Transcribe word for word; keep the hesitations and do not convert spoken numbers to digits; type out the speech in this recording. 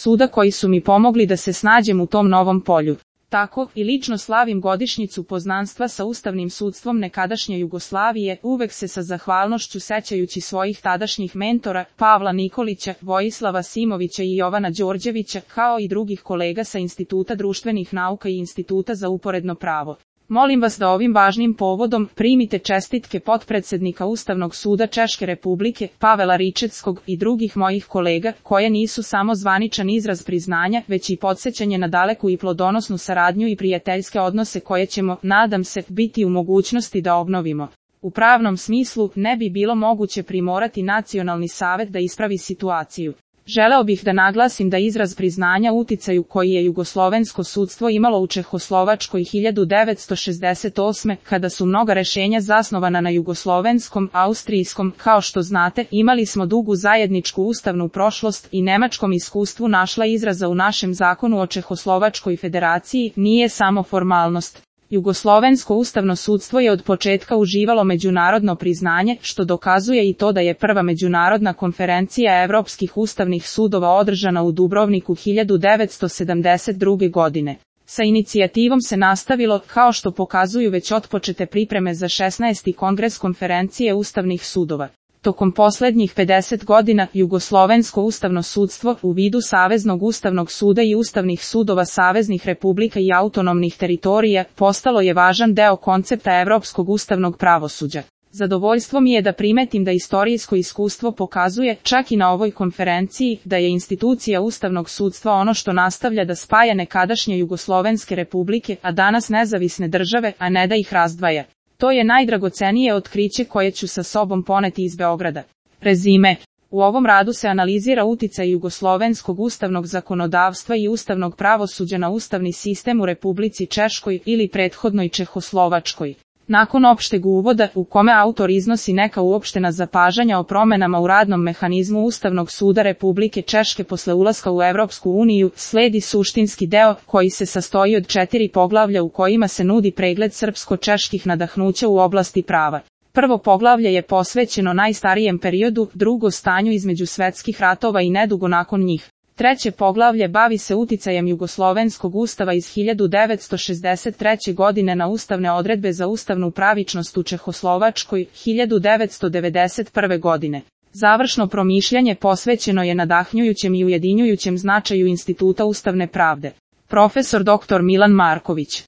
suda koji su mi pomogli da se snađem u tom novom polju. Tako i lično slavim godišnjicu poznanstva sa ustavnim sudstvom nekadašnje Jugoslavije, uvek se sa zahvalnošću sećajući svojih tadašnjih mentora, Pavla Nikolića, Vojislava Simovića i Jovana Đorđevića, kao i drugih kolega sa Instituta društvenih nauka i Instituta za uporedno pravo. Molim vas da ovim važnim povodom primite čestitke potpredsednika Ustavnog suda Češke Republike, Pavela Ričetskog i drugih mojih kolega, koje nisu samo zvaničan izraz priznanja, već i podsjećanje na daleku i plodonosnu saradnju i prijateljske odnose koje ćemo, nadam se, biti u mogućnosti da obnovimo. U pravnom smislu, ne bi bilo moguće primorati Nacionalni savet da ispravi situaciju. Želeo bih da naglasim da izraz priznanja uticaju koji je jugoslovensko sudstvo imalo u Čehoslovačkoj hiljadu devetsto šezdeset osme. kada su mnoga rešenja zasnovana na jugoslovenskom, austrijskom, kao što znate, imali smo dugu zajedničku ustavnu prošlost i nemačkom iskustvu našla izraza u našem zakonu o Čehoslovačkoj federaciji, nije samo formalnost. Jugoslovensko ustavno sudstvo je od početka uživalo međunarodno priznanje, što dokazuje i to da je prva međunarodna konferencija evropskih ustavnih sudova održana u Dubrovniku hiljadu devetsto sedamdeset druge. godine. Sa inicijativom se nastavilo, kao što pokazuju već otpočete pripreme za šesnaesti kongres konferencije ustavnih sudova. Tokom poslednjih pedeset godina, Jugoslovensko ustavno sudstvo, u vidu Saveznog ustavnog suda i ustavnih sudova saveznih republika i autonomnih teritorija, postalo je važan deo koncepta evropskog ustavnog pravosuđa. Zadovoljstvo mi je da primetim da istorijsko iskustvo pokazuje, čak i na ovoj konferenciji, da je institucija ustavnog sudstva ono što nastavlja da spaja nekadašnje jugoslovenske republike, a danas nezavisne države, a ne da ih razdvaja. To je najdragocenije otkriće koje ću sa sobom poneti iz Beograda. Rezime. U ovom radu se analizira uticaj jugoslovenskog ustavnog zakonodavstva i ustavnog pravosuđa na ustavni sistem u Republici Češkoj ili prethodnoj Čehoslovačkoj. Nakon opšteg uvoda, u kome autor iznosi neka uopštena zapažanja o promenama u radnom mehanizmu Ustavnog suda Republike Češke posle ulaska u Evropsku uniju, sledi suštinski deo, koji se sastoji od četiri poglavlja u kojima se nudi pregled srpsko-čeških nadahnuća u oblasti prava. Prvo poglavlje je posvećeno najstarijem periodu, drugo stanju između svetskih ratova i nedugo nakon njih. Treće poglavlje bavi se uticajem jugoslovenskog ustava iz hiljadu devetsto šezdeset treće. godine na ustavne odredbe za ustavnu pravičnost u Čehoslovačkoj, hiljadu devetsto devedeset prve. godine. Završno promišljanje posvećeno je nadahnjujućem i ujedinjujućem značaju instituta ustavne pravde. Profesor doktor Milan Marković.